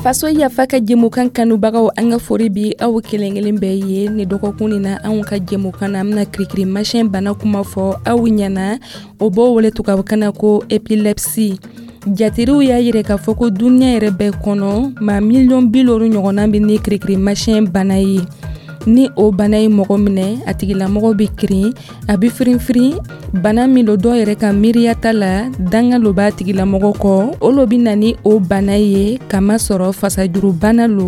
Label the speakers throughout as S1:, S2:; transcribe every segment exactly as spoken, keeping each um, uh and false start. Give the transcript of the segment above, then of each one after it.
S1: Faso Yafa ka jɛmukan kanubagaw, an ka fori bi aw kelen kelen bɛɛ ye. Ni dɔgɔkun nin na, anw ka jɛmukan na, an bɛna kirikirimasiyɛn bana kuma fɔ aw ɲɛna. O b'o wele tubabukan na ko épilepsie. Jatiriw y'a yira k'a fɔ ko duniɲa yɛrɛ bɛɛ kɔnɔ, maa miliyɔn bi loru ɲɔgɔnna bɛ ni kirikirimasiyɛn bana ye. Ni o bana ye mɔgɔ minɛ, a tigilamɔgɔ bɛ kirin, a bɛ firinfirin. Bana min lo, dɔw yɛrɛ ka miiriyata la, danga lo b'a tigilamɔgɔ kɔ, o lo bɛ na ni o bana ye, kamasɔrɔ fasajurubana lo.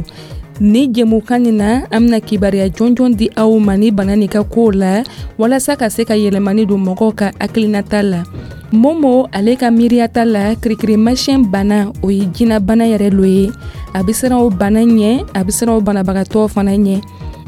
S1: Ni jɛmukan nin na, an bɛna kibaruya jɔnjɔn di aw ma ni bana nin ka kow la, walasa ka se ka yɛlɛmani don mɔgɔw ka hakilinata la. Momo, ale ka miiriyata la, kirikirimasiyɛn bana, o ye jinɛbana yɛrɛ lo ye. A bɛ siran o bana ɲɛ, a bɛ siran o banabagatɔ fana ɲɛ.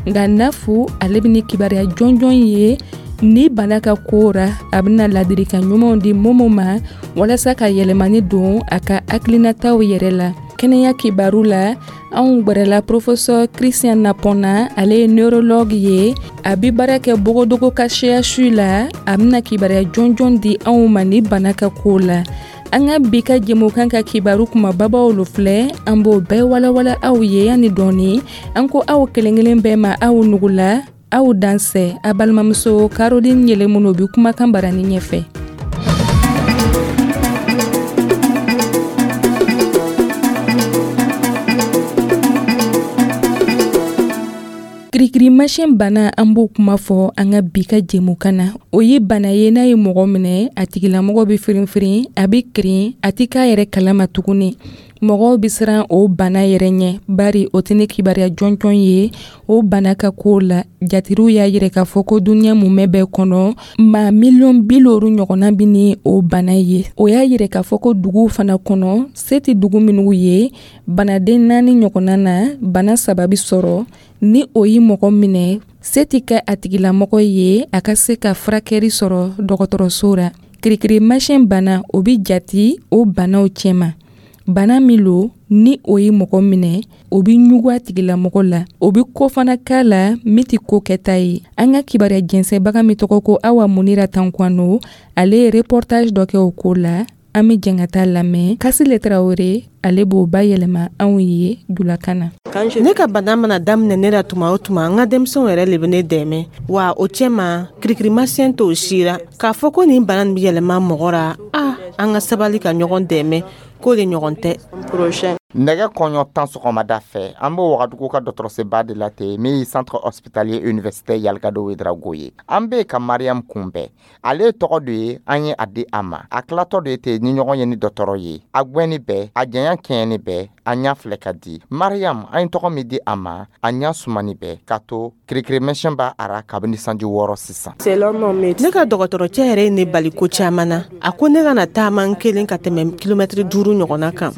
S1: Nka Nafu, ale bɛ ni kibaruya jɔnjɔn ye ni bana ka ko ra. A bɛna ladilikan ɲumanw di Momo ma walasa ka yɛlɛmani don a ka hakilinataw yɛrɛ la. Kɛnɛya kibaru la, anw gwɛrɛla professeur Christian Napɔnna. Ale ye neurologue ye, a bɛ baara kɛ Bogodogo ka C H U la. A bɛna kibaruya jɔnjɔn di anw ma ni bana ka ko la. An ka bi ka jɛmukan ka kibaru kumababaw lo filɛ, an b'o bɛɛ walawala aw ye. Yanni dɔɔni, an ko aw kelen kelen bɛɛ ma, aw nugula, aw dansɛ. A balimamuso Caroline Yɛlɛmunu bɛ kumakan barani ɲɛfɛ. Kirikirimasiyɛn bana, an b'o kuma fɔ an ka bi ka jɛmukan na. O ye bana ye, n'a ye mɔgɔ minɛ, a tigilamɔgɔ bɛ firinfirin, a bɛ kirin, a tɛ k'a yɛrɛ kalama tuguni. Mɔgɔw bɛ siran o bana yɛrɛ ɲɛ, bari o tɛ ne kibaruya jɔnjɔn ye o bana ka kow la. Jatiriw y'a yira k'a fɔ ko duniɲa mumɛ bɛɛ kɔnɔ, maa miliyɔn bi loru ɲɔgɔnna bɛ ni o bana ye. O y'a yira k'a fɔ ko duguw fana kɔnɔ, se tɛ dugu minnu ye, banaden naani ɲɔgɔnna na, bana saba bɛ sɔrɔ. Ni o ye mɔgɔ minɛ, se tɛ kɛ a tigilamɔgɔ ye a ka se ka furakɛli sɔrɔ dɔgɔtɔrɔso la. Kirikirimasiyɛn bana, o bɛ jati o banaw cɛma. Bana min lo, ni o ye mɔgɔ minɛ, o bɛ ɲugu a tigilamɔgɔ la, o bɛ ko fana k'a la min tɛ ko kɛta ye. An ka kibaruya jɛnsɛnbaga min tɔgɔ ko Awa Munira Tankwano, ale ye reportage dɔ kɛ o ko la. An bɛ jɛn ka taa lamɛn. Kasile Tarawele, ale b'o bayɛlɛma anw ye julakan na.
S2: Ne ka bana mana daminɛ ne la tuma o tuma, n ka denmisɛnw yɛrɛ le bɛ ne dɛmɛ. Wa o cɛma, kirikirimasiyɛn t'o si ra k'a fɔ ko nin bana nin bɛ yɛlɛma mɔgɔ ra. A an ka sabali ka ɲɔgɔn dɛmɛ, k'o de ɲɔgɔn tɛ.
S3: Nɛgɛ kɔɲɔ tan sɔgɔmada fɛ, an bɛ Wagadugu ka dɔgɔtɔrɔsoba de la ten, min ye centre hospitalier universitaire Yalgado Ouédraogo ye. An bɛ ka Mariam kunbɛn. Ale tɔgɔ de ye an ye a di a ma. A tilatɔ de ten ni ɲɔgɔn ye ni dɔgɔtɔrɔ ye. A gwɛnni bɛɛ, a janya kɛɲɛni bɛɛ, a ɲɛ filɛ ka di. Mariam, an ye tɔgɔ min di a ma, a ɲɛ sumani bɛɛ, k'a to kirikirimasiyɛn b'a ara kabini sanji wɔɔrɔ sisan.
S2: Ne ka dɔgɔtɔrɔcɛ yɛrɛ ye ne bali ko caman na. A ko ne kana taama n kelen ka tɛmɛ kilomɛtiri duuru ɲɔgɔnna kan.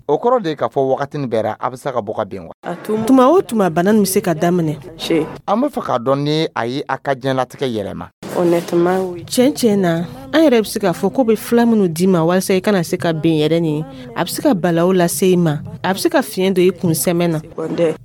S3: O kɔrɔ de ye k'a fɔ wagati nin bɛɛ ra, a bɛ se ka bɔ ka bin wa?
S2: Tuma o tuma, bana nin bɛ se ka daminɛ.
S3: An bɛ fɛ k'a dɔn ni a ye a ka diɲɛlatigɛ yɛlɛma.
S2: Tiɲɛ tiɲɛ na, an yɛrɛ bɛ se k'a fɔ ko bɛ fila minnu d'i ma walasa i kana se ka ben yɛrɛ nin, a bɛ se ka balawu lase i ma, a bɛ se ka fiɲɛ don i kunsɛmɛ na.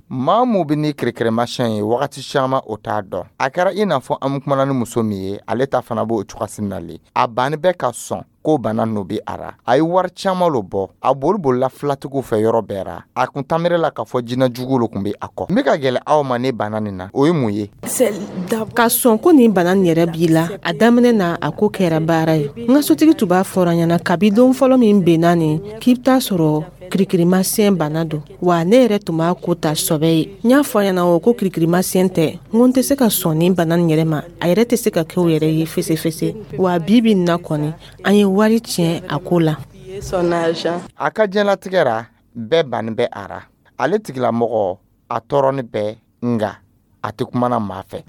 S3: Maa mun bɛ ni kirikirimasiyɛn ye wagati caman, o t'a dɔn. A kɛra i n'a fɔ an kumana ni muso min ye, ale ta fana b'o cogoya na le. A banni bɛ ka sɔn ko bana n'o bɛ a ra. A ye wari caman lo bɔ, a boli bolila filatigiw fɛ yɔrɔ bɛɛ ra. A kun tamere la k'a fɔ jinɛ jugu lo kun bɛ a kɔ. N bɛ ka gɛlɛ aw ma ne bana nin na, o ye mun ye?
S2: Ka sɔn ko nin bana nin yɛrɛ b'i la, a daminɛ na, a ko kɛra baara ye. N ka sotigi tun b'a fɔra ɲɛna kabi don fɔlɔ min benna nin, k'i bɛ taa sɔrɔ kirikirimasiyɛn bana don. Wa ne yɛrɛ tun b'a ko ta sɔbɛ ye. N y'a fɔ a ɲɛna o ko kirikirimasiyɛn tɛ, n ko n tɛ se ka sɔn nin bana nin yɛrɛ ma, a yɛrɛ tɛ se ka kɛ o yɛrɛ ye fesefese. Wa bi bi nin na kɔni, an ye wari tiɲɛ a ko la.
S3: A ka diɲɛlatigɛ ra, bɛɛ banni bɛ a ra. Ale tigilamɔgɔ, a tɔɔrɔni bɛɛ, nka a tɛ kumana maa fɛ.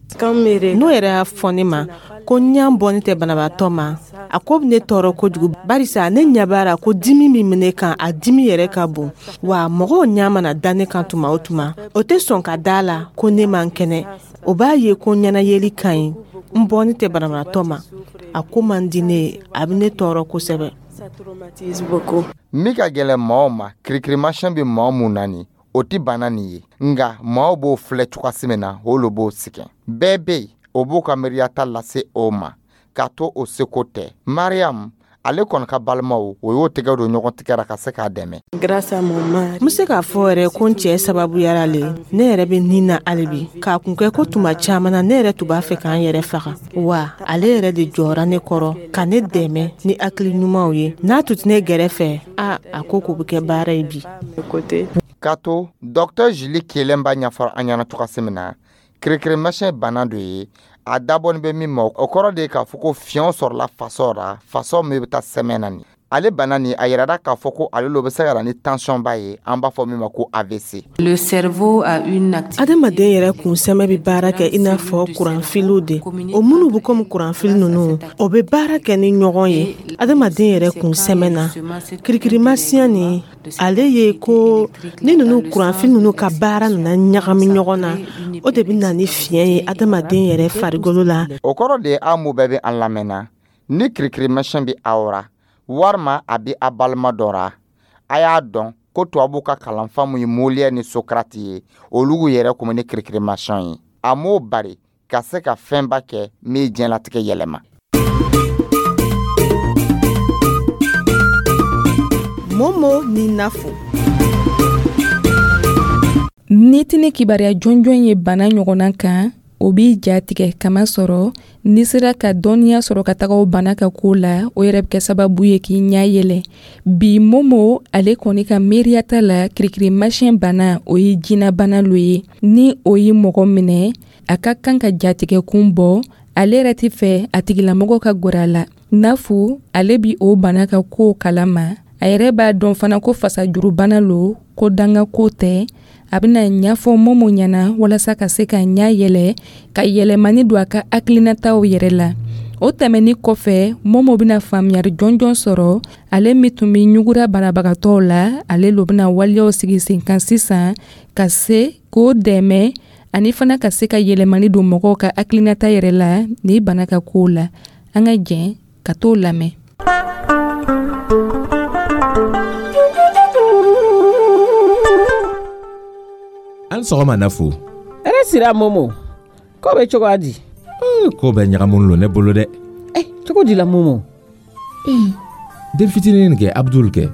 S2: N'o yɛrɛ y'a fɔ ne ma ko ɲa bɔni tɛ banabaatɔ ma, a ko bɛ ne tɔɔrɔ kojugu, barisa ne ɲɛ b'a la ko dimi min bɛ ne kan, a dimi yɛrɛ ka bon. Wa mɔgɔw ɲɛ mana da ne kan tuma o tuma, o tɛ sɔn ka da la ko ne man kɛnɛ. O b'a ye ko ɲɛnayeli ka ɲi, n bɔni tɛ banabaatɔ ma. A ko man di ne ye, a bɛ ne tɔɔrɔ kosɛbɛ.
S3: Min ka gɛlɛn maaw ma, kirikirimasiyɛn bɛ maa mun na nin, o tɛ bana nin ye, nka maaw b'o filɛ cogoya min na, o lo b'o sɛgɛn. Bɛɛ bɛ yen, o b'o ka miiriyata lase o ma, k'a to o seko tɛ. Mariam, Ale kɔni ka balimaw, o y'o tɛgɛ don ɲɔgɔn tigɛra ka se k'a dɛmɛ.
S2: N bɛ se k'a fɔ yɛrɛ ko n cɛ sababuyara le, ne yɛrɛ bɛ nin na hali bi. K'a kun kɛ ko tuma caman na, ne yɛrɛ tun b'a fɛ k'an yɛrɛ faga, wa ale yɛrɛ de jɔra ne kɔrɔ ka ne dɛmɛ ni hakili ɲumanw ye. N'a tun tɛ ne gɛrɛfɛ, a a ko k'o bɛ kɛ baara ye bi.
S3: K'a to Docteur Julie Kelen b'a ɲɛfɔ an ɲɛna cogoya min na, kirikirimasiyɛn bana dɔ ye, a dabɔnin bɛ min ma, o kɔrɔ de ye k'a fɔ ko fiɲɛ sɔrɔla faso la, faso min bɛ taa sɛmɛ na nin. Ale bana nin, a yirara k'a fɔ ko ale lo bɛ se ka na ni tension ba ye, an b'a fɔ min ma ko A V C.
S4: Le cerveau a une activité.
S2: Adamaden yɛrɛ kunsɛmɛ bɛ baara kɛ i n'a fɔ kuranfiliw de. O minnu bɛ komi kuranfili ninnu, o bɛ baara kɛ ni ɲɔgɔn ye adamaden yɛrɛ kunsɛmɛ na. Kirikirimasiyɛn nin, ale ye ko ni ninnu kuranfili ninnu ka baara nana ɲagami ɲɔgɔn na, o de bɛ na ni fiɲɛ ye adamaden yɛrɛ farikolo la.
S3: O kɔrɔ de ye, aw mun bɛɛ bɛ an lamɛnna, ni kirikirimasiyɛn bɛ aw ra walima a bɛ a balima dɔ ra, a y'a dɔn ko tubabuw ka kalanfa mun ye Molière ni Socrate ye, olu yɛrɛ kun bɛ ni kirikirimasiyɛn ye. A m'o bari ka se ka fɛnba kɛ min ye diɲɛlatigɛ yɛlɛma.
S2: Momo ni Nafo.
S1: N'i tɛna kibaruya jɔnjɔn ye bana ɲɔgɔnna kan, o b'i ja tigɛ, kamasɔrɔ n'i sera ka dɔnniya sɔrɔ ka taga o bana ka ko la, o yɛrɛ bɛ kɛ sababu ye k'i ɲɛ yɛlɛ. Bi, Momo ale kɔni ka miiriyata la, kirikirimasiyɛn bana, o ye jinɛbana lo ye. Ni o ye mɔgɔ minɛ, a ka kan ka jatigɛkun bɔ. Ale yɛrɛ tɛ fɛ a tigilamɔgɔ ka gɛrɛ a la. Nafu ale bi o bana ka kow kalama. A yɛrɛ b'a dɔn fana ko fasajurubana lo, ko danga ko tɛ. A bɛna ɲɛfɔ Momo ɲɛna walasa ka se ka ɲɛ yɛlɛ, ka yɛlɛmani don a ka hakilinataw yɛrɛ la. O tɛmɛni kɔfɛ, Momo bɛna faamuyali jɔnjɔn sɔrɔ. Ale min tun bɛ ɲugura banabagatɔw la, ale lo bɛna waleyaw sigi sen kan sisan ka se k'o dɛmɛ, ani fana ka se ka yɛlɛmani don mɔgɔw ka hakilinata yɛrɛ la ni bana ka kow la. An ka jɛn ka t'o lamɛn.
S5: An sɔgɔma, Nafo.
S6: Hɛrɛ sira, Momo. Ko bɛ cogoya di?
S5: Ko bɛ ɲagamun lo ne bolo dɛ.
S6: Eh, cogo di la, Momo?
S5: Den fitinin kɛ, Abdul kɛ,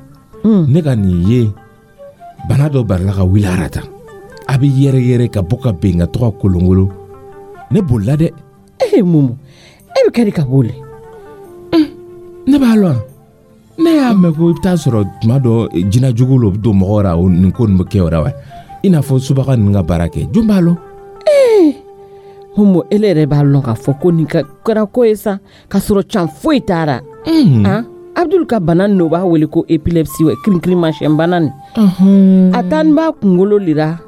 S5: ne ka nin ye, bana dɔ barila ka wuli a ra tan, a bɛ yɛrɛ yɛrɛ ka bɔ ka ben ka to ka kolongolo. Ne bolila dɛ.
S6: Eh, Momo, e bɛ kɛ di ka boli?
S5: Ne b'a lɔn, ne y'a mɛn ko i bɛ taa sɔrɔ tuma dɔ jinɛjugu lo bɛ don mɔgɔ ra, o nin ko nin bɛ kɛ o la wa, i n'a fɔ subaga ninnu ka baara kɛ, jɔn b'a lɔn?
S6: Ee, Momo, ele yɛrɛ b'a lɔn k'a fɔ ko nin ka kɛra ko ye sa k'a sɔrɔ can foyi t'a han. Abdul ka bana nin, o b'a wele ko épilepsie, kirinkirinmasiyɛn bana nin. A taa b'a kunkolo lira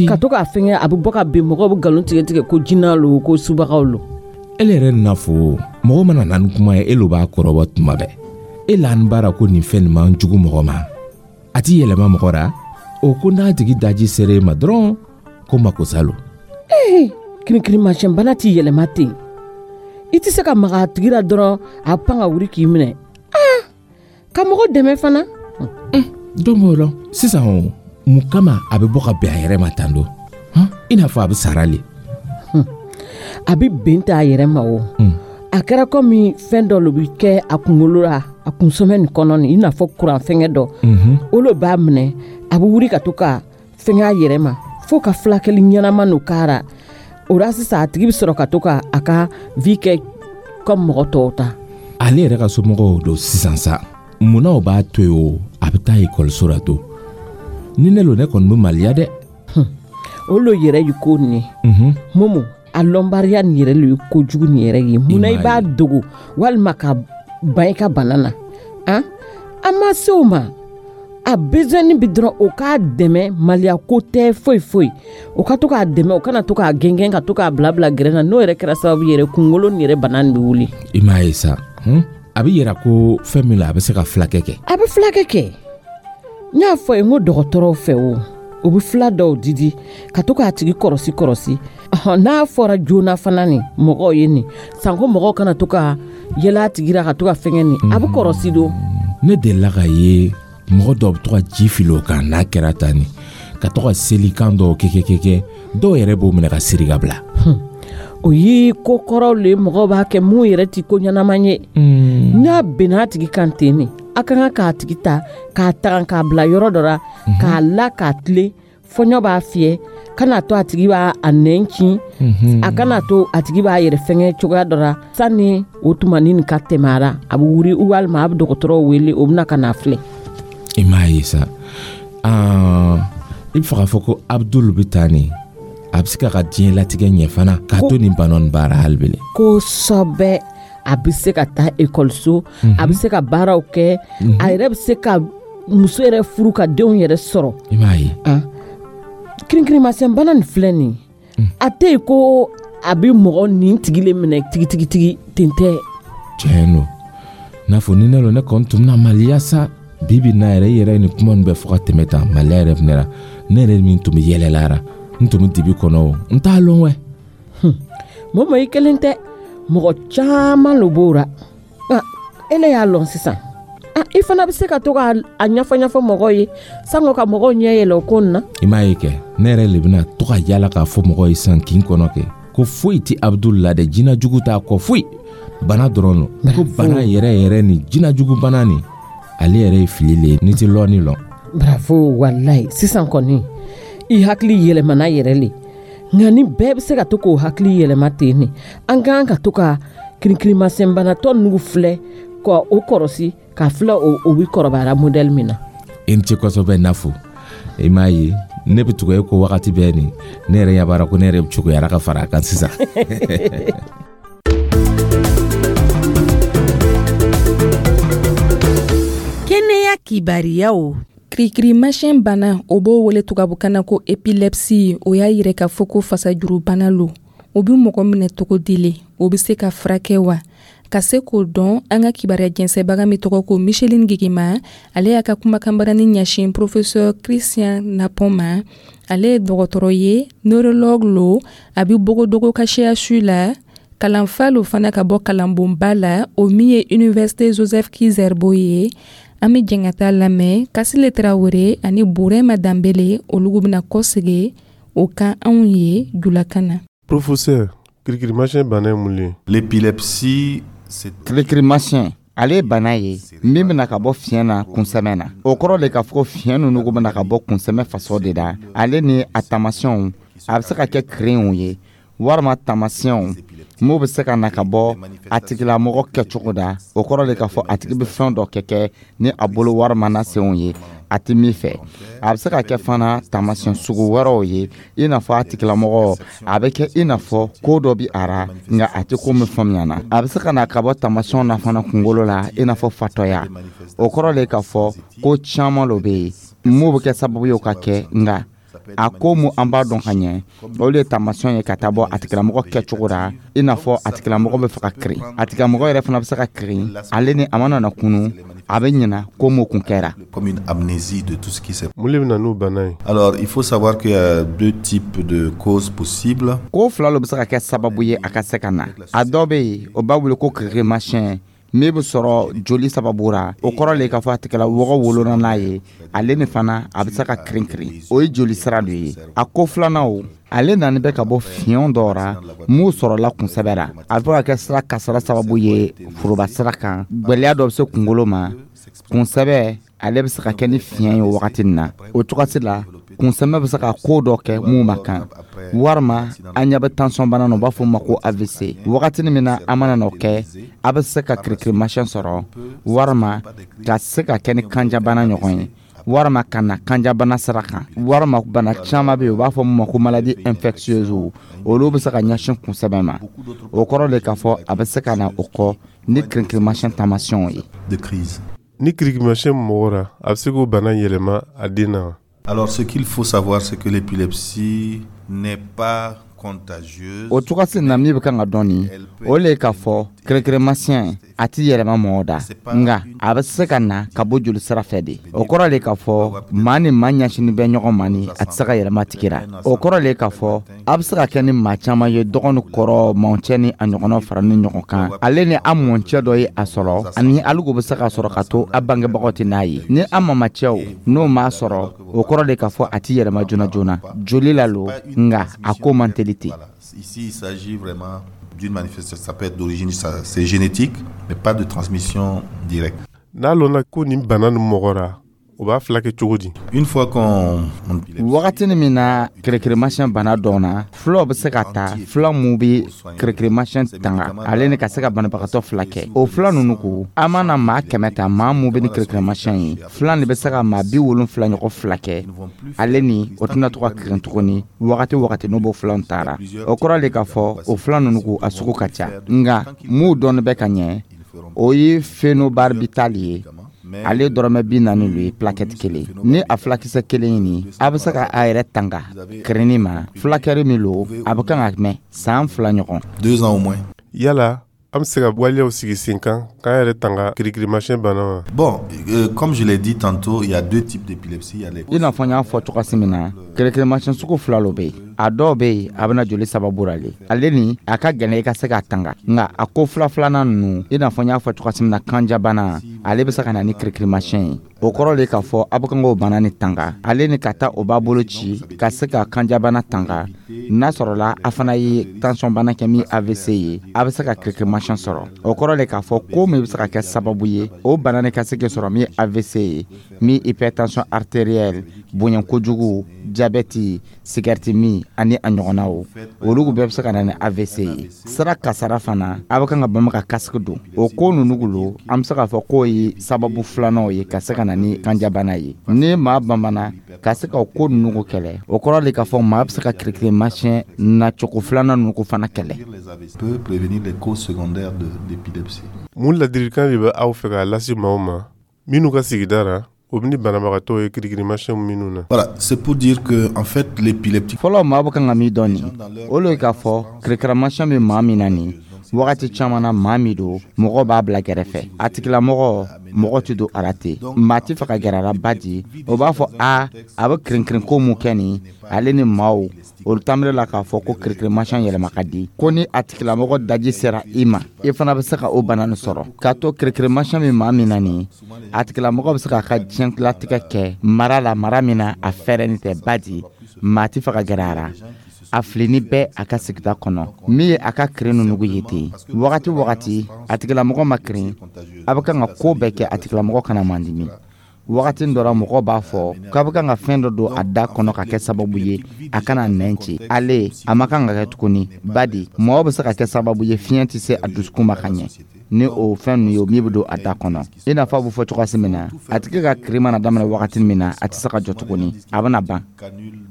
S6: ka to k'a fɛngɛ, a bɛ bɔ ka bin, mɔgɔw bɛ nkalon tigɛ tigɛ ko jinɛ lo, ko subagaw lo.
S5: Ele yɛrɛ n'a fɔ mɔgɔ mana na ni kuma ye, e lo b'a kɔrɔbɔ tuma bɛɛ. E la an baara ko nin fɛn nin man jugu mɔgɔ ma, a t'i yɛlɛma mɔgɔ ra. O ko n'a tigi daji sera e ma dɔrɔn, ko makosa lo.
S6: Ee, kirinkirinmasiyɛn bana t'i yɛlɛma ten. I tɛ se ka maga a tigi la dɔrɔn, a pan ka wuli k'i minɛ. Aa, ka mɔgɔ dɛmɛ fana.
S5: Don b'o lɔn sisan, o mun kama a bɛ bɔ ka bɛn a yɛrɛ ma tan don, i n'a fɔ a bɛ sara le?
S6: A bɛ ben ta a yɛrɛ ma o. A kɛra komi fɛn dɔ lo bɛ kɛ a kunkolo la, a kunsɛmɛ nin kɔnɔ nin, i n'a fɔ kuran fɛngɛ dɔ. O lo b'a minɛ, a bɛ wuli ka to ka fɛngɛ a yɛrɛ ma fo ka fulakɛli ɲɛnama n'o k'a o la. Sisan a tigi bɛ sɔrɔ ka to ka a ka vie kɛ comme mɔgɔ tɔw ta.
S5: Ale yɛrɛ ka somɔgɔw don sisan sa, munna o b'a to yen o, a bɛ taa ekɔliso la to? Ni ne lo, ne kɔni bɛ maliya dɛ.
S6: O lo yɛrɛ ye ko nin ye, Momo. A lɔnbariya nin yɛrɛ lo ye kojugu nin yɛrɛ ye. Munna i b'a dogo walima ka ban i ka bana na? Han, an ma se o ma. A besoin bi dɔrɔn o k'a dɛmɛ, maliya ko tɛ foyi foyi. O ka to k'a dɛmɛ, o kana to k'a gɛngɛn, ka to k'a bila bila gɛrɛn na. N'o yɛrɛ kɛra sababu yɛrɛ, kunkolo nin yɛrɛ bana nin bɛ wuli.
S5: I m'a ye sa, a bɛ yira ko fɛn min la, a bɛ se ka fulakɛ kɛ.
S6: A bɛ fulakɛ kɛ. N y'a fɔ ye n ko dɔgɔtɔrɔw fɛ, o o bɛ fila dɔw didi ka to k'a tigi kɔrɔsi kɔrɔsi. N'a fɔra joona fana nin mɔgɔw ye nin sanko, mɔgɔw kana to ka yɛlɛ a tigi la ka to ka fɛngɛ nin, a bɛ kɔrɔsi don.
S5: Ne delila ka ye mɔgɔ dɔw bɛ to ka ji fili o kan n'a kɛra tan nin, ka to ka selikan dɔw kɛ kɛ kɛ kɛ. Dɔw yɛrɛ b'o minɛ ka siri ka bila.
S6: O ye ko kɔrɔw le mɔgɔw b'a kɛ mun yɛrɛ ti ko ɲɛnama ye. N'a benna a tigi kan ten ne, a ka kan k'a tigi ta k'a tagan k'a bila yɔrɔ dɔ la, k'a la k'a tilen, fɔɲɔ b'a fiyɛ, kana to a tigi b'a a nɛn ci, a kana to a tigi b'a yɛrɛ fɛngɛ cogoya dɔ la. Sani o tuma ni nin ka tɛmɛ a la, a bɛ wuri walima a bɛ dɔgɔtɔrɔw wele, o bɛna ka n'a filɛ.
S5: I m'a ye sa, i bɛ fɛ k'a fɔ ko Abdul bɛ taa nin, a bɛ se k'a ka diɲɛlatigɛ ɲɛ fana k'a to nin bana nin baara hali bele?
S6: Kosɛbɛ, a bɛ se ka taa ekɔliso, a bɛ se ka baaraw kɛ, a yɛrɛ bɛ se ka muso yɛrɛ furu ka denw yɛrɛ sɔrɔ.
S5: I m'a ye.
S6: Kirinkirinmasiyɛn bana nin filɛ nin, a tɛ yen ko a bɛ mɔgɔ nin tigi le minɛ tigitigitigi ten tɛ.
S5: Tiɲɛ don, n'a fɔ ni ne lo, ne kɔni tun bɛna maliya sa. Bi bi na yɛrɛ, i yɛrɛ ye nin kuma nin bɛɛ fɔ ka tɛmɛ tan, maliya yɛrɛ fɛnɛ la, ne yɛrɛ min tun bɛ yɛlɛla, n tun bɛ dibi kɔnɔ, o n t'a lɔn wɛ.
S6: Momo, i kelen tɛ, mɔgɔ caman lo b'o ra. Nka ele y'a lɔn sisan, i fana bɛ se ka to k'a ɲɛfɔ ɲɛfɔ mɔgɔw ye sango ka mɔgɔw ɲɛ yɛlɛ o ko nin na.
S5: I m'a ye kɛ, ne yɛrɛ le bɛna to ka yala k'a fɔ mɔgɔw ye sisan kin kɔnɔ kɛ ko foyi tɛ Abdul la dɛ, jinɛ jugu t'a kɔ, foyi, bana dɔrɔn don, ko bana yɛrɛ yɛrɛ nin, jinɛ jugu bana nin, ale yɛrɛ ye fili le ye n'i tɛ lɔnni lɔn.
S6: Bravo, walayi, sisan kɔni i hakili yɛlɛmana yɛrɛ le. Nka ni bɛɛ bɛ se ka to k'o hakili yɛlɛma ten ne, an ka kan ka to ka kirinkirinmasiyɛnbanatɔ nugu filɛ ka o kɔrɔsi k'a filɛ o o bɛ kɔrɔbayara modɛli min na.
S5: I ni ce kosɛbɛ Nafo. I m'a ye, ne bɛ tugu e ko wagati bɛɛ nin, ne yɛrɛ ɲɛ b'a la ko ne yɛrɛ cogoyara ka fara a kan sisan.
S4: Kɛnɛya kibariyaw.
S1: Kirikirimasiyɛn bana, o b'o wele tubabukan na ko épilepsie, o y'a yira k'a fɔ ko fasajurubana lo. O bɛ mɔgɔ minɛ cogo di le? O bɛ se ka furakɛ wa? Ka se k'o dɔn, an ka kibaruya jɛnsɛbaga min tɔgɔ ko Micheline Gigima, ale y'a ka kumakanbarani ɲɛsin professeur Christian Napon ma. Ale ye dɔgɔtɔrɔ ye, neurologue lo, a bɛ Bogodogo ka C H U la, kalanfa lo fana ka bɔ kalanbonba la, o min ye Université Joseph Ki-Zerbo ye. An bɛ jɛn ka taa lamɛn Kasile Tarawele ani Burema Danbele, olu bɛna kɔsegin o kan anw ye julakan na.
S7: Professeur, kirikirimasiyɛn bana ye mun ye?
S8: L'épilepsie, c'est
S3: Kirikirimasiyɛn, ale ye bana ye min bɛna ka bɔ fiɲɛ na kunsɛmɛ na. O kɔrɔ de k'a fɔ fiɲɛ ninnu bɛna ka bɔ kunsɛmɛ faso de la. Ale ni a taamasiyɛnw, a bɛ se ka kɛ kirinw ye walima taamasiyɛnw m'o bɛ se ka na ka bɔ a tigilamɔgɔ kɛcogo da. O kɔrɔ de k'a fɔ a tigi bɛ fɛn dɔ kɛ kɛ ni a bolo walima n'a senw ye a tɛ min fɛ. A bɛ se ka kɛ fana taamasiyɛn sugu wɛrɛw ye, i n'a fɔ a tigilamɔgɔ a bɛ kɛ i n'a fɔ ko dɔ bɛ a ra nka a tɛ ko min faamuya na. A bɛ se ka na ka bɔ taamasiyɛnw na fana kunkolo la, i n'a fɔ fatɔya. O kɔrɔ de k'a fɔ ko caman lo bɛ yen m'o bɛ kɛ sababu ye o ka kɛ, nka a ko mu an b'a dɔn ka ɲɛ, olu ye taamasiyɛn ye ka taa bɔ a tigilamɔgɔ kɛcogo la, i n'a fɔ a tigilamɔgɔ bɛ fɛ ka kirin, a tigilamɔgɔ yɛrɛ fana bɛ se ka kirin, ale ni a mana na kunu, a bɛ ɲina ko m'o kun kɛra.
S8: Comme une amnésie de tout ce qui s'est.
S7: Mun de bɛ na n'o bana ye?
S8: Alors, il faut savoir qu'il y a deux types de causes possibles.
S3: Ko fila lo bɛ se ka kɛ sababu ye a ka se ka na. A dɔ bɛ yen, o b'a wele ko kirikirimasiyɛn min bɛ sɔrɔ joli sababu ra. O kɔrɔ le k'a fɔ a tigilamɔgɔ wolona n'a ye, ale ni fana a bɛ se ka kirin-kirin, o ye joli sira dɔ ye. A ko filanan, o ale nani bɛ ka bɔ fiɲɛ dɔw ra m'u sɔrɔla kunsɛbɛ ra. A bɛ ka kɛ sira kasara sababu ye foroba sira kan, gwɛlɛya dɔ bɛ se kunkolo ma, kunsɛbɛ ale bɛ se ka kɛ ni fiɲɛ ye o wagati nin na. O cogosi la, kunsɛmɛ bɛ se ka ko dɔ kɛ mun ma kan, walima an ɲɛ bɛ tansɔn bana na, u b'a fɔ o ma ko A V C. Wagati min na an mana n'o kɛ, a bɛ se ka kirikirimasiyɛn sɔrɔ, walima ka se ka kɛ ni kanjabana ɲɔgɔn ye, walima ka na kanjabana sira kan, walima bana caman bɛ yen, u b'a fɔ min ma ko maladie infectieuse, olu bɛ se ka ɲɛsin kunsɛmɛ ma. O kɔrɔ de k'a fɔ a bɛ se ka na o kɔ ni kirikirimasiyɛn taamasiyɛnw ye.
S8: De crise.
S7: Ni kirikirimasiyɛn mɔgɔ ra, a bɛ se k'o bana yɛlɛma a den na wa?
S8: Alors, ce qu'il faut savoir, c'est que l'épilepsie n'est pas contagieuse.
S3: O cogosi na min bɛ kan ka dɔn nin, o le ye k'a fɔ kirikirimasiyɛn a ti yɛlɛma mɔgɔ da, nka a bɛ se ka na ka bɔ joli sira fɛ de. O kɔrɔ le k'a fɔ maa ni maa ɲɛsinin bɛ ɲɔgɔn ma ni a tɛ se ka yɛlɛma tigi ra. O kɔrɔ le k'a fɔ a bɛ se ka kɛ ni maa caman ye, dɔgɔ ni kɔrɔ, mɔncɛ ni a ɲɔgɔnnaw fara ni ɲɔgɔn kan, ale ni a mɔncɛ dɔ ye a sɔrɔ, ani aligo bɛ se ka sɔrɔ ka to a bangebagaw tɛ n'a ye, ni a mamacɛw n'o m'a sɔrɔ. O kɔrɔ de k'a fɔ a ti yɛlɛma joona joona joli la lo, nka a ko man teli ten.
S8: Ici, il s'agit vraiment d'une manifestation, ça peut être d'origine, c'est génétique, mais pas de transmission directe.
S7: N'a lɔnna ko nin bana nin mɔgɔ ra, o b'a fila kɛ cogo di?
S8: Une fois qu'on
S3: Wagatini min na kirikirimasiyɛn bana dɔnna, fulaw bɛ se ka ta fula mun bɛ kirikirimasiyɛn tanga ale ni ka se ka banabagatɔ fila kɛ. O fula ninnu ko, an mana maa kɛmɛ ta, maa mun bɛ ni kirikirimasiyɛn ye, fila de bɛ se ka maa bi wolonfila ɲɔgɔn fila kɛ. Ale ni o tɛna to ka kirin tuguni wagati wagati n'o b'o filanw taara. O kɔrɔ de k'a fɔ o fila ninnu ko a sugu ka ca, nka mun dɔɔni bɛ ka ɲɛ, o ye phenobarbital ye. Ale dɔrɔmɛ bi naani lo ye plaquette kelen. Ni a fulakisɛ kelen ɲini, a bɛ se ka a yɛrɛ tanga kirinni ma. Fulakɛri min lo, a bɛ kan ka mɛn san fila ɲɔgɔn.
S8: Deux ans au moins.
S7: Yala an bɛ se ka waleyaw sigi sen kan k'an yɛrɛ tanga kirikirimasiyɛn bana ma?
S8: Bon, euh, comme je l'ai dit tantôt, il y a deux types d'épilepsie. Il y a les
S3: I n'a fɔ n y'a fɔ cogoya min na, kirikirimasiyɛn sugu fila lo bɛ yen. A dɔw bɛ yen, a bɛna joli sababu la le, ale ni a ka gɛlɛn i ka se k'a tanga. Nka a ko fila filanan ninnu, i n'a fɔ n y'a fɔ cogoya min na, kanjabana, ale bɛ se ka na ni kirikirimasiyɛn ye. O kɔrɔ de k'a fɔ a bɛ kan k'o bana ni tanga, ale ni ka taa o b'a bolo ci ka se ka kanjabana tanga. N'a sɔrɔla a fana ye tension bana kɛ min A V C ye, a bɛ se ka kirikirimasiyɛn sɔrɔ. O kɔrɔ de k'a fɔ ko min bɛ se ka kɛ sababu ye o bana ni ka se k'i sɔrɔ, min ye A V C ye, min hypertension artérielle, bonya kojugu, diabète, cigarette min ani a ɲɔgɔnnaw, olu bɛɛ bɛ se ka na ni A V C ye. Sira kasara fana, a bɛ kan ka bama ka casque don. O ko ninnu lo, an bɛ se k'a fɔ k'o ye sababu filananw ye ka se ka na ni kanjabana ye. Ni maa banbana ka se ka o ko ninnu kɛlɛ, o kɔrɔ de k'a fɔ maa bɛ se ka kirikirimasiyɛn nacogo filanan ninnu fana kɛlɛ.
S8: Peut prévenir les causes secondaires de d'épilepsie.
S7: Mun ladilikan de bɛ aw fɛ k'a lase maaw ma minnu ka sigida ra, o bɛ ni banabagatɔw ye kirikirimasiyɛnw minnu na?
S8: Voilà, c'est pour dire que en fait l'épileptique
S3: Fɔlɔ, maa bɛ kan ka min dɔn nin, o le k'a fɔ kirikirimasiyɛn bɛ maa min na nin wagati caman na, maa min don, mɔgɔ b'a bila kɛrɛfɛ, a tigilamɔgɔ mɔgɔ tɛ don a la ten, maa tɛ fɛ ka gɛrɛ a la badi. O b'a fɔ a a bɛ kirinkirin mun kɛ nin, ale ni maaw olu taamana la k'a fɔ ko kirikirimasiyɛn yɛlɛma ka di, ko ni a tigilamɔgɔ daji sera i ma, i fana bɛ se ka o bana nin sɔrɔ. K'a to kirikirimasiyɛn bɛ maa min na nin, a tigilamɔgɔ bɛ se k'a ka diɲɛlatigɛ kɛ mara la, mara min na a fɛrɛni tɛ badi, maa tɛ fɛ ka gɛrɛ a la, a filini bɛɛ a ka sigida kɔnɔ. Min ye a ka kirin nugu ye ten, wagati wagati a tigilamɔgɔ ma kirin, a bɛ kan ka ko bɛɛ kɛ a tigilamɔgɔ kana mandimi. Wagati dɔ la, mɔgɔ b'a fɔ k'a bɛ kan ka fɛn dɔ don a da kɔnɔ ka kɛ sababu ye a kana nɛn ci. Ale a ma kan ka kɛ tuguni badi, mɔgɔ bɛ se ka kɛ sababu ye fiɲɛ tɛ se a dusukun ma ka ɲɛ ni o fɛn ninnu ye min bɛ don a da kɔnɔ. I n'a fɔ a bɛ fɔ cogoya min na, a tigi ka kiri mana daminɛ wagati min na, a tɛ se ka jɔ tuguni, a bɛna ban.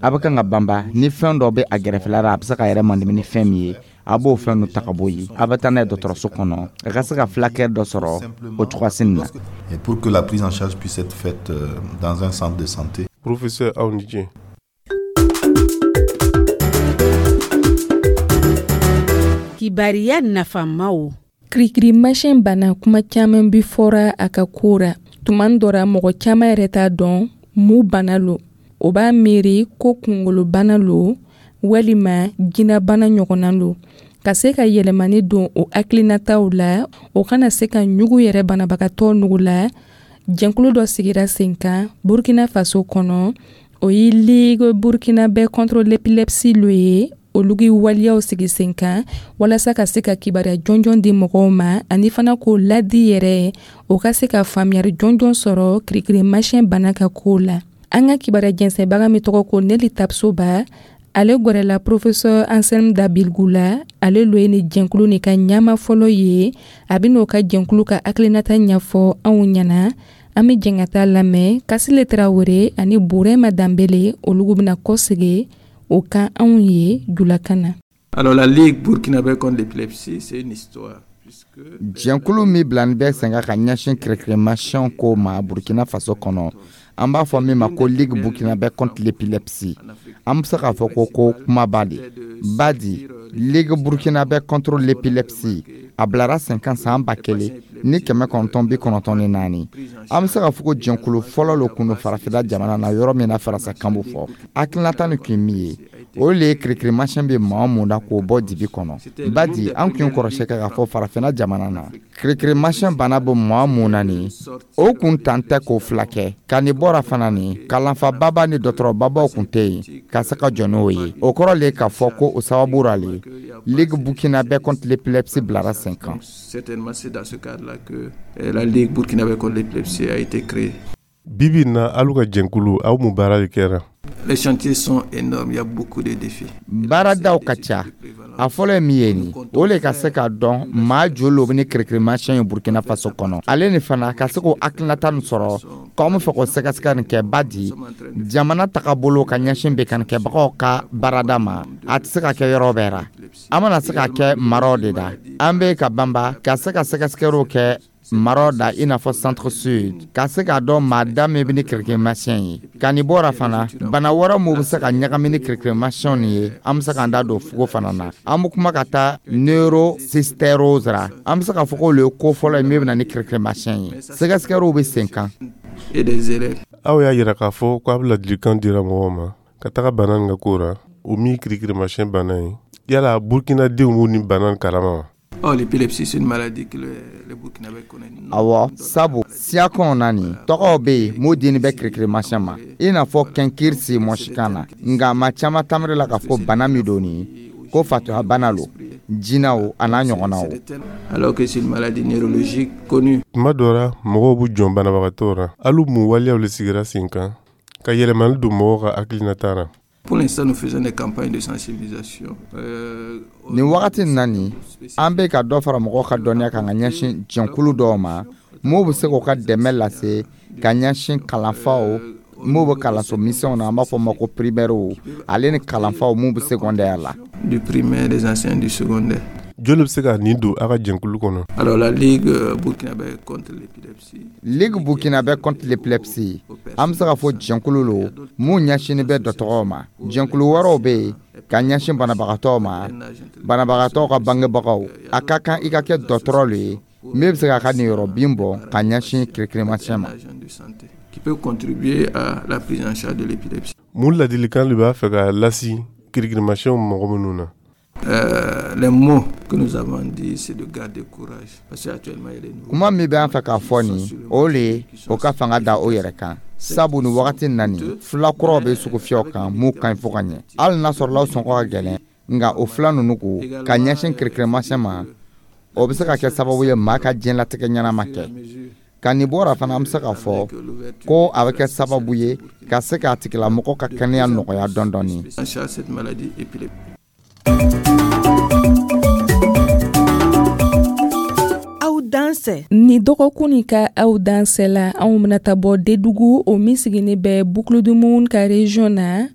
S3: A bɛ kan ka banba ni fɛn dɔ bɛ a gɛrɛfɛla la, a bɛ se ka yɛrɛ mandimi ni fɛn min ye, a b'o fɛn ninnu ta ka bɔ yen, a bɛ taa n'a ye dɔgɔtɔrɔso kɔnɔ, a ka se ka fulakɛ dɔ sɔrɔ o cogoya nin na.
S8: Et pour que la prise en charge puisse être faite dans un centre de santé.
S7: Professeur, aw ni ce.
S4: Kibariya nafamaw.
S1: Kirikirimasiyɛn bana, kuma caman bi fɔra a ka ko ra. Tuma dɔ ra, mɔgɔ caman yɛrɛ t'a dɔn mun bana lo. O b'a miiri ko kungolobana lo walima jinɛbana ɲɔgɔnna lo. Ka se ka yɛlɛmani don o hakilinataw la, o kana se ka ɲugu yɛrɛ banabagatɔ nugu la, jɛnkulu dɔ sigira sen kan Burkina Faso kɔnɔ. O ye Ligue burkinabè contre l'épilepsie lo ye. Olu gi waliyaw sigi sen kan walasa ka se ka kibaruya jɔnjɔn di mɔgɔw ma, ani fana k'o ladi yɛrɛ, o ka se ka faamuyali jɔnjɔn sɔrɔ kirikirimasiyɛn bana ka kow la. An ka kibaruya jɛnsɛnbaga min tɔgɔ ko Neli Tapsoba, ale gwɛrɛla professeur Anselme Dabilgou la. Ale lo ye ni jɛnkulu ni ka ɲama fɔlɔ ye. A bɛ n'o ka jɛnkulu ka hakilinata ɲɛfɔ anw ɲɛna. An bɛ jɛn ka taa lamɛn. Kasile Tarawele ani Burema Danbele, olu bɛna kɔsegi o kan anw ye julakan na.
S9: Alors la Ligue burkinabé contre l'épilepsie, c'est une histoire.
S3: Jɛnkulu min bilani bɛ sen kan ka ɲɛsin kirikirimasiyɛnw ko ma Burkina Faso kɔnɔ, an b'a fɔ min ma ko Ligue burkinabé contre l'épilepsie, an bɛ se k'a fɔ ko ko kumaba de badi. Ligue burkinabé contre l'épilepsie, a bilara sen kan san ba kelen ni kɛmɛ kɔnɔntɔn bi kɔnɔntɔn ni naani. An bɛ se k'a fɔ ko jɛnkulu fɔlɔ lo kun don farafinna jamana na, yɔrɔ min na faransikan bɛ fɔ. Hakilinata nin kun ye min ye, O le ye kirikirimasiyɛn bɛ maa mun na k'o bɔ dibi kɔnɔ. Badi, an kun kɔrɔsɛ kɛ k'a fɔ farafinna jamana na, kirikirimasiyɛn bana bɛ maa mun na nin, o kun tan tɛ k'o fila kɛ. Ka nin bɔra fana nin, kalanfababa ni dɔgɔtɔrɔbabaw kun tɛ yen ka se ka jɔ n'o ye. O kɔrɔ le k'a fɔ ko o sababu ra le Ligue burkinabè contre l'épilepsie bilara sen kan.
S9: Certainement, c'est dans ce cadre-là que la Ligue burkinabé contre l'épilepsie a été créée.
S7: Bibi in na, alu ka jɛnkulu, aw mun baara de kɛra?
S9: Les chantiers sont énormes, il y a beaucoup de défis.
S3: Baaradaw ka ca. A fɔlɔ ye min ye nin, o le ka se k'a dɔn maa joli lo bɛ ni kirikirimasiyɛn ye Burkina Faso kɔnɔ. Ale ni fana ka se k'o hakilinata nin sɔrɔ k'anw bɛ fɛ k'o sɛgɛsɛgɛ nin kɛ. Badi, jamana tagabolo ka ɲɛsin bekanikɛbagaw ka baarada ma, a tɛ se ka kɛ yɔrɔ bɛɛ ra. An mana se ka kɛ maraw de da, an bɛ ka banba ka se ka sɛgɛsɛgɛliw kɛ maraw da, i n'a fɔ Centre Sud, ka se k'a dɔn maa da min bɛ ni kirikirimasiyɛn ye. Ka nin bɔra fana, bana wɛrɛ mun bɛ se ka ɲagami ni kirikirimasiyɛnw ye, an bɛ se k'an da don fugo fana na. An bɛ kuma ka taa neurocystérose ra. An bɛ se k'a fɔ k'olu ye ko fɔlɔ ye min bɛ na ni kirikirimasiyɛn ye. Sɛgɛsɛgɛliw bɛ sen kan.
S9: Et des élèves.
S7: Aw y'a yira k'a fɔ ko a bɛ ladilikan dira mɔgɔw ma ka taga bana nin ka ko ra, o min kirikirimasiyɛn bana ye. Yala Burkinadenw b'u ni bana nin kalama wa?
S9: Oh, l'épilepsie, c'est une maladie que les, les Burkinabés connaissent.
S3: Awɔ, sabu siyakanw na nin, tɔgɔw bɛ yen mun dini bɛ kirikirimasiyɛn ma, i n'a fɔ kɛnkirisi mɔsikan na. Nka maa caman tamiri la k'a fɔ bana min don nin, ko fatoya bana lo, jinɛw a n'a ɲɔgɔnnaw.
S9: Alors que c'est une maladie neurologique connue.
S7: Tuma dɔ la, mɔgɔw b'u jɔn banabagatɔw ra. Alu mun waleyaw le sigira sen kan ka yɛlɛmali don mɔgɔw ka hakilinata ra?
S9: Pour l'instant, nous faisons des campagnes de sensibilisation. Euh,
S3: Nin wagati nin na nin, an bɛ ka dɔ fara mɔgɔw ka dɔnniya kan ka ɲɛsin jɛnkulu dɔw ma m'o bɛ se k'u ka dɛmɛ lase ka ɲɛsin kalanfaw m'o bɛ kalanso misɛnw na, an b'a fɔ o ma ko primaire, ale ni kalanfaw mun bɛ secondaire la.
S9: Du primaire, des enseignants du secondaire.
S7: Joli bɛ se ka nin don a ka jɛnkulu kɔnɔ?
S9: Alors la Ligue burkinabé contre l'épilepsie.
S3: Ligue burkinabé contre l'épilepsie, an bɛ se k'a fɔ jɛnkulu lo mun ɲɛsinnen bɛ dɔgɔtɔrɔw ma. Jɛnkulu wɛrɛw bɛ yen ka ɲɛsin banabagatɔw ma, banabagatɔw ka bangebagaw. A ka kan i ka kɛ dɔgɔtɔrɔ le ye min bɛ se k'a ka niyɔrɔ bin bɔ ka ɲɛsin kirikirimasiyɛn ma.
S9: Qui peut contribuer à la prise en charge de l'épilepsie.
S7: Mun ladilikan de b'a fɛ ka lasi kirikirimasiyɛnw mɔgɔ minnu na?
S9: Euh, les mots que nous avons dit, c'est de garder courage. Parce qu'actuellement, il y a des nouveaux.
S3: Kuma min bɛ an fɛ k'a fɔ nin, o le ye o ka fanga da o yɛrɛ kan, sabu nin wagati na nin, fila kuraw bɛ sugu fiyɛw kan mun ka ɲi fo ka ɲɛ. Hali n'a sɔrɔla o sɔngɔ ka gɛlɛn, nka o fila ninnu ko ka ɲɛsin kirikirimasiyɛn ma, o bɛ se ka kɛ sababu ye maa ka diɲɛlatigɛ ɲɛnama kɛ. Ka nin bɔra fana, an bɛ se k'a fɔ ko a bɛ kɛ sababu ye ka se k'a tigilamɔgɔ ka kɛnɛya nɔgɔya dɔɔni dɔɔni.
S9: En charge cette maladie épileptique.
S2: Aw dansɛ.
S1: Ni dɔgɔkun nin ka aw dansɛ la, anw bɛna ta bɔ Dedugu, o min sigini bɛ Boucle du Mouhoun ka région na.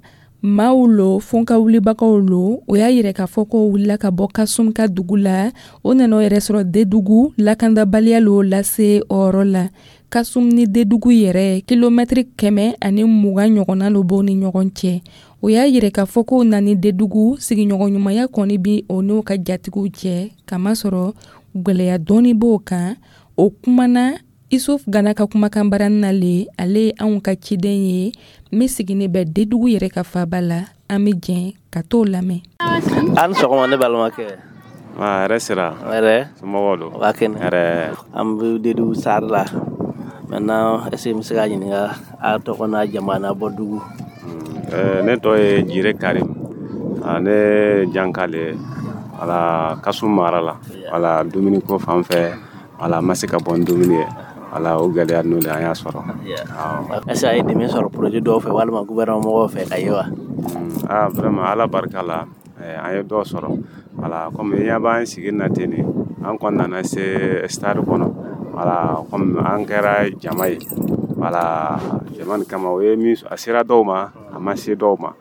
S1: Maaw lo, fɔnka wulibagaw lo, o y'a yɛrɛ k'a fɔ ko wulila ka bɔ Kasum ka dugu la, o nana o yɛrɛ sɔrɔ Dedugu. Lakandabaliya lo lase o yɔrɔ la. Kasum ni Dedugu yɛrɛ, kilomɛtiri kɛmɛ ani mugan ɲɔgɔnna lo b'o ni ɲɔgɔn cɛ. O y'a yɛrɛ k'a fɔ ko nani Dedugu sigiɲɔgɔnɲumanya kɔni bi o n'o ka jatigiw cɛ, kamasɔrɔ gwɛlɛya dɔɔni b'o kan. O kumana Isuf Gana ka kumakan barani na le. Ale ye anw ka ciden ye min sigini bɛ Dedugu yɛrɛ ka faba la. An bɛ jɛn ka t'o lamɛn.
S10: An sɔgɔma, ne balimakɛ.
S11: Hɛrɛ sira.
S10: Hɛrɛ.
S11: Somɔgɔw don?
S10: Waa kɛnɛ.
S11: Hɛrɛ.
S10: An bɛ Dedugu sari la maintenant. Est ce que n bɛ se ka ɲininka a tɔgɔ n'a jamu n'a bɔ dugu?
S11: Ne tɔgɔ ye Jire Karim. Ne janka le, wala Kasum mara la, wala dumuni ko fan fɛ, wala ma se ka bɔ ni dumuni ye, wala o gɛlɛya ninnu de an y'a sɔrɔ.
S10: Est ce que a ye dɛmɛ sɔrɔ projet dɔw fɛ walima gouvernement mɔgɔw fɛ ka ye wa?
S11: Ah, vraiment, Ala barika la, an ye dɔw sɔrɔ. Wala comme i ɲɛ b'an sigi na ten de, an kɔni nana se stade kɔnɔ, wala comme an kɛra jama ye, wala jama nin kama, o ye min, a sera dɔw ma, a ma se dɔw ma.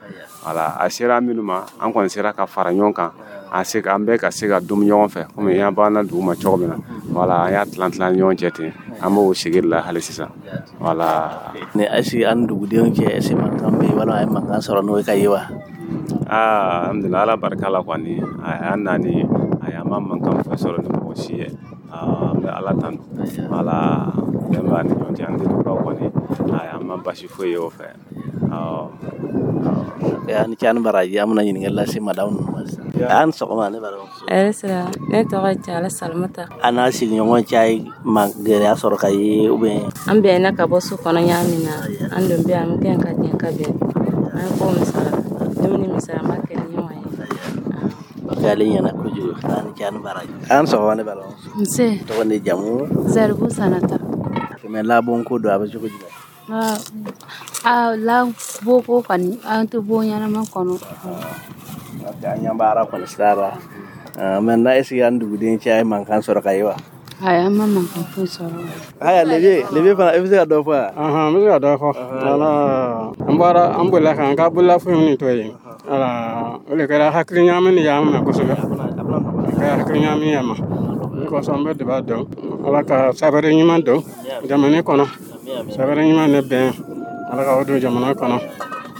S11: Wala a sera minnu ma, an kɔni sera ka fara ɲɔgɔn kan, an se an bɛɛ ka se ka dumuni ɲɔgɔn fɛ, komi i ɲɛ b'an na dugu ma cogo min na. Wala an y'a tilan tilan ɲɔgɔn cɛ ten, an b'o sigi la hali sisan. Wala
S10: ni est ce que an dugudenw cɛ, est ce que mankan bɛ yen walima a ye mankan sɔrɔ n'o ye ka ye wa?
S11: Aa, alhamdulilah, Ala barika la kɔni, an nani a ma mankan foyi sɔrɔ ni mɔgɔ si ye. An bɛ Ala tanu. Wala bɛn b'an ni ɲɔgɔn cɛ, an dugubaw kɔni, an ma basi foyi ye o fɛ.
S10: A ni ce, a ni baraji. An bɛna ɲininkali lase madamu ninnu ma sisan. A ni sɔgɔma, ne balimamuso.
S12: Hɛrɛ sira, ne tɔgɔ ye Cala Salimata.
S10: A n'a sigiɲɔgɔn cɛ ye ma gɛlɛya sɔrɔ ka ye ou bien?
S12: An bɛnna ka bɔ so kɔnɔ ɲa min na, an don bɛ an kɛ ka jɛ ka bɛn, an ye ko min sara, dumuni min sara, an b'a kɛ ni ɲɔgɔn ye.
S10: Ok, ale ɲɛna kojugu. A ni ce, a ni baraji. A ni sɔgɔma, ne balimamuso.
S13: Nse.
S10: Tɔgɔ ni jamu?
S13: Zaribu Sanata.
S10: Mais labon ko don, a bɛ cogo jumɛn?
S13: A la boko kɔni, an tɛ bon ɲɛnama kɔnɔ.
S10: Ok, an ɲɛ b'ara kɔni sira la. Maintenant, est ce que an duguden cɛ ye mankan sɔrɔ ka ye wa?
S13: Ayi, an ma mankan foyi sɔrɔ.
S10: Haya, lebe lebe fana, i bɛ se ka dɔ fɔ wa?
S14: N bɛ se ka dɔ fɔ. Wala, an bɔra, an bolila k'an ka bololafɛnw ni to yen. Wala, o de kɛra hakili ɲagami ni y'an minɛ kosɛbɛ. A kɛra hakili ɲagami ye ma. O kosɔn an bɛ duba dɔn Ala ka sabari ɲuman don jamana kɔnɔ, sabari ɲuman ne bɛn, Ala ka o don jamana kɔnɔ,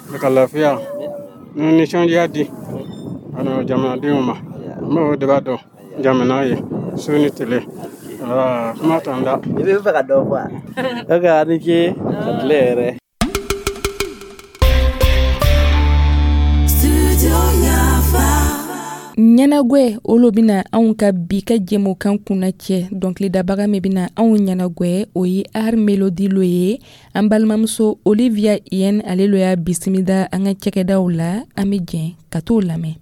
S14: Ala ka lafiya ni nisɔndiya di ani jamanadenw ma. An b'o duba dɔn jamana ye su ni tile. Wala, kuma t'an da.
S10: I bɛ fɛ ka dɔ fɔ wa? Ok, a ni ce, ka tile yɛrɛ.
S1: Ɲɛnagwɛ, olu bɛna anw ka bi ka jɛmukan kunna cɛ. Dɔnkilidabaga min bɛna anw ɲɛnagwɛ, o ye Art Melody lo ye. An balimamuso Olivia Yen, ale lo y'a bisimila an ka cɛkɛdaw la. An bɛ jɛn ka t'o lamɛn.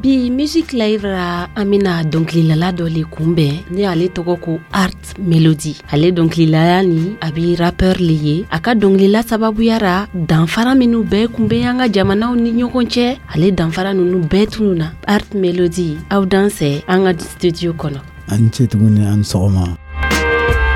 S15: Bi Music Live ra, an bɛna dɔnkililala dɔ le kunbɛn ni ale tɔgɔ ko Art Melody. Ale dɔnkililaya ni a bi rappeur le ye. A ka dɔnkilila sababuya ra, danfara minnu bɛɛ kun bɛ an ka jamanaw ni ɲɔgɔn cɛ, ale danfara ninnu bɛɛ tununa. Art Melody, aw dansɛ an ka studio kɔnɔ.
S16: An ce tuguni, an sɔgɔma.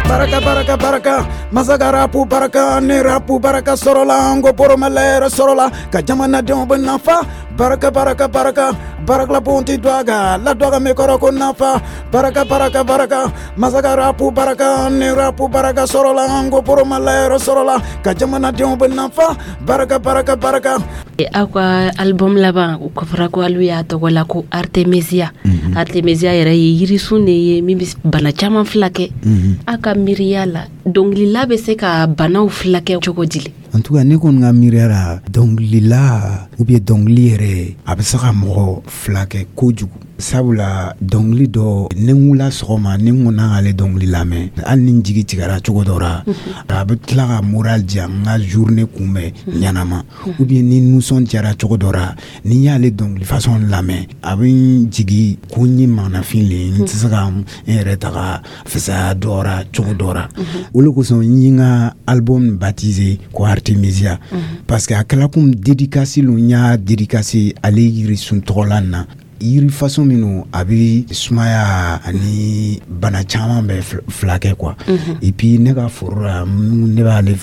S17: Baraka, baraka, baraka, masaka rapu baraka ni rapu baraka sɔrɔla, n ko poromala yɛrɛ sɔrɔla ka jamanadenw bɛ nafa. Baraka, baraka, baraka, barakala bonti dwaga la dwaga mi kɔrɔ ko nafa. Baraka, baraka, baraka, masaka rapu baraka ni rapu baraka sɔrɔla, n ko poromala yɛrɛ sɔrɔla ka jamanadenw bɛ nafa. Baraka, baraka, baraka.
S15: Aw ka album laban, o kɔfɛra ko alu y'a tɔgɔ la ko Artemisia. Artemisia yɛrɛ ye yirisun de ye min bɛ bana caman filakɛ. Aw ka miiriya la, dɔnkilila bɛ se ka banaw filakɛ cogo di?
S16: En tout cas, ne kɔni ka miiriya la, dɔnkilila ou bien dɔnkili yɛrɛ, a bɛ se ka mɔgɔ filakɛ kojugu, sabula dɔnkili dɔ, ni n wulila sɔgɔma, ni n ko n'an k'ale dɔnkili lamɛn, hali ni n jigi tigɛra cogo dɔ la, a bɛ tila ka moral di yan, n ka journée kunbɛn ɲɛnama. Ou bien ni nisɔn diyara cogo dɔ la, ni n y'ale dɔnkili façon lamɛn, a bɛ n jigi ko n ye maanafin le ye, n tɛ se ka n yɛrɛ ta ka fisaya dɔ ra cogo dɔ la. O de kosɔn n ye n ka album baptisé ko Artemisia, parce que a kɛla komi dédicace lo. N y'a dédicace ale yirisun tɔgɔla na, yiri façon minnu a bɛ sumaya ani bana caman bɛ filakɛ quoi. Et puis ne ka foro la, ne b'ale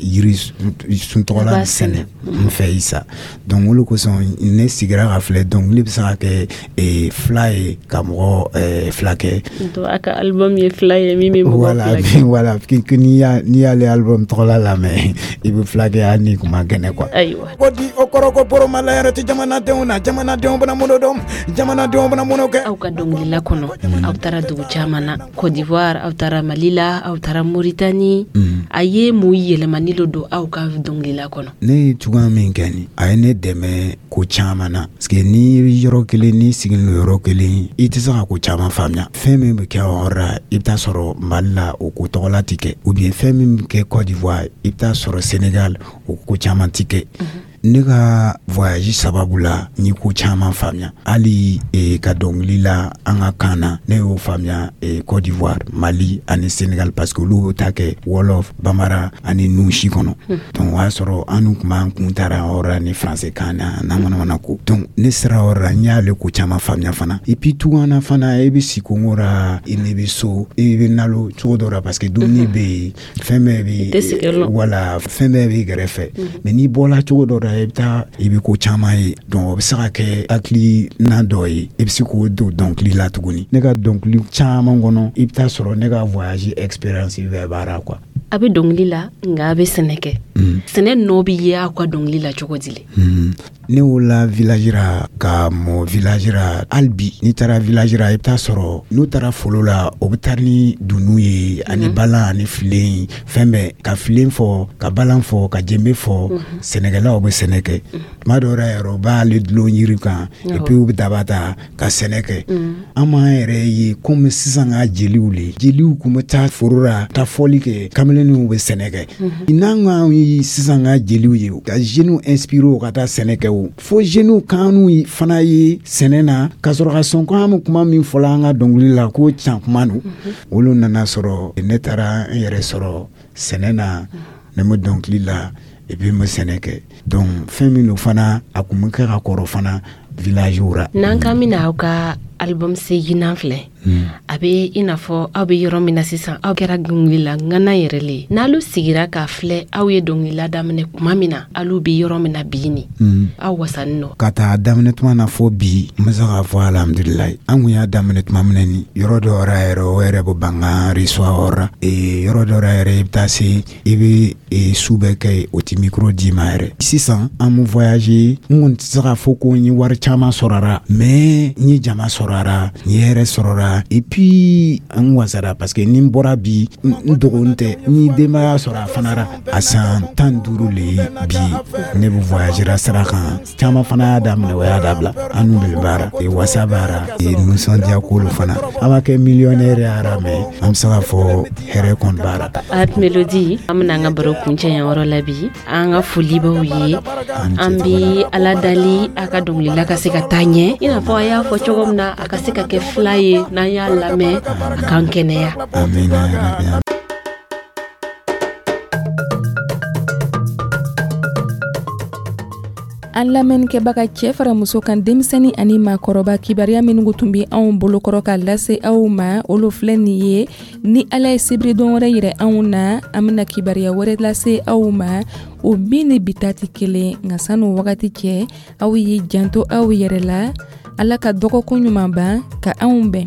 S16: yiri sun tɔgɔla sɛnɛ n fɛ isa. Donc o de kosɔn ne sigira ka filɛ, dɔnkili bɛ se ka kɛ fila ye ka mɔgɔ filakɛ.
S15: Donc a ka album ye fila ye min bɛ mɔgɔ filakɛ.
S16: Voilà, n'i y'a n'i y'ale album tɔgɔla lamɛn, i bɛ filakɛ hali n'i kun ma kɛnɛ quoi.
S15: Ayiwa.
S17: Ko di o kɔrɔ ko poromala yɛrɛ tɛ jamanadenw na, jamanadenw bɛna mun dɔn, jamanadenw bɛna mun kɛ.
S15: Aw ka dɔnkilila kɔnɔ, aw taara dugu caman na, Côte d'Ivoire, aw taara Mali la, aw taara Mauritanie. A ye mun yɛlɛmani dɔ don aw ka dɔnkilila kɔnɔ?
S16: Ne ye cogoya min kɛ nin, a ye ne dɛmɛ ko caman na, parce que ni yɔrɔ kelen, n'i sigilen don yɔrɔ kelen, i tɛ se ka ko caman faamuya. Fɛn min bɛ kɛ o yɔrɔ la, i bɛ taa sɔrɔ Mali la, o ko tɔgɔla tɛ kɛ, ou bien fɛn min bɛ kɛ Côte d'Ivoire, i bɛ taa sɔrɔ Sénégal, o ko caman tɛ kɛ. Ne ka voyage sababu la, n ye ko caman faamuya, hali e, ka dɔnkili la an ka kan na, ne y'o faamuya e, Côte d'Ivoire, Mali ani Sénégal, parce que olu bɛ taa kɛ Wolof, Bambara ani Nouchi kɔnɔ. Donc o y'a sɔrɔ an n'u kun b'an kun taara yɔrɔ la ni français kan na n'a mana mana ko. Donc ne sera yɔrɔ la, n y'ale ko caman faamuya fana. Et puis tunga fana, e bɛ si kongo la, i ne bɛ so, i bɛ nalo cogo dɔ la, parce que dumuni bɛ yen, fɛn bɛɛ bɛ, wala, fɛn bɛɛ b'i kɛrɛfɛ. Mais n'i bɔla cogo dɔ la, i bɛ taa, i bɛ ko caman ye. Donc o bɛ se ka kɛ hakilina dɔ ye, i bɛ se k'o don dɔnkili la tuguni. Ne ka dɔnkili caman kɔnɔ, i bɛ taa sɔrɔ ne ka voyage expérience bɛɛ b'a la quoi.
S15: A bɛ dɔnkili la, nka a bɛ sɛnɛ kɛ. Sɛnɛ nɔ bɛ ye aw ka dɔnkili la cogo di le?
S16: Ne wolola village ra, ka mɔ village ra. Hali bi, n'i taara village ra, i bɛ taa sɔrɔ n'u taara foro la, o bɛ taa ni dunun ye ani balan ani filen, fɛn bɛɛ, ka filen fɔ, ka balan fɔ, ka jenbe fɔ. Sɛnɛkɛlaw bɛ sɛnɛ kɛ. Tuma dɔw la yɛrɛ, u b'ale dulon yiri kan, et puis u bɛ daba ta ka sɛnɛ kɛ. An m'an yɛrɛ ye komi sisan ka jeliw le, jeliw kun bɛ taa foro la, taa fɔli kɛ, kamelenninw bɛ sɛnɛ kɛ. N'an k'an ye sisan ka jeliw ye ka jeunes inspirer u ka taa sɛnɛ kɛ, o fo jeunes k'anu fana ye sɛnɛ na, ka sɔrɔ ka sɔn ko an bɛ kuma min fɔla an ka dɔnkili la ko can kuma don. Olu nana sɔrɔ ne taara n yɛrɛ sɔrɔ sɛnɛ na, ne bɛ dɔnkili la, et puis n bɛ sɛnɛ kɛ. Donc fɛn min don fana, a kun bɛ kɛ ka kɔrɔ fana village ra.
S15: N'an k'an bɛna aw ka album seginnan filɛ, a bɛ i n'a fɔ aw bɛ yɔrɔ min na sisan, aw kɛra dɔnkilila ŋana yɛrɛ le ye. N'alu sigira k'a filɛ, aw ye dɔnkilila daminɛ tuma min na, alu bɛ yɔrɔ min na bi nin, aw wasanin nɔ?
S16: Ka taa daminɛ tuma na fɔ bi, n bɛ se k'a fɔ alhamdulilayi. An kun y'a daminɛ tuma min na, ni yɔrɔ dɔ yɛrɛ, o yɛrɛ bɛ ban k'an reçoit la. Yɔrɔ dɔ yɛrɛ, i bɛ taa se, i bɛ su bɛɛ kɛ, o ti micro d'i ma yɛrɛ. Sisan an bɛ voyager. N kɔni tɛ se k'a fɔ ko n ye wari caman sɔrɔ a la, mais n ye jama sɔrɔ a la, n ye hɛrɛ sɔrɔ a la, et puis an wasara, parce que ni n bɔra bi, n dogo tɛ, n ye denbaya sɔrɔ a fana ra. A san tan duuru le ye bi ne bɛ voyagera sira kan. Caman fana y'a daminɛ, o y'a dabila. An n'u de baara, wasa baara, nisɔndiya k'olu fana. An ma kɛ millionnaire yara, mais an bɛ se k'a fɔ hɛrɛ kɔni b'a la.
S15: Art Melody, an bɛna an ka baro kuncɛ yan yɔrɔ la bi. An ka foli b'aw ye. An bɛ Ala dali a ka dɔnkilila ka se ka taa ɲɛ, i n'a fɔ a y'a fɔ cogo min na, a ka se ka kɛ fila ye, n'an y'a lamɛn, a k'an kɛnɛya.
S16: Amina.
S1: An lamɛnnikɛbaga, cɛ fara muso kan, denmisɛnnin ani maakɔrɔba, kibaruya minnu tun bɛ anw bolokɔrɔ ka lase aw ma, olu filɛ nin ye. Ni Ala ye sibiridon wɛrɛ yɛrɛ anw na, an bɛna kibaruya wɛrɛ lase aw ma, o min ni bi ta tɛ kelen. Nka san'o wagati cɛ, aw y'i janto aw yɛrɛ la. Ala ka dɔgɔkun ɲuman ban ka anw bɛn.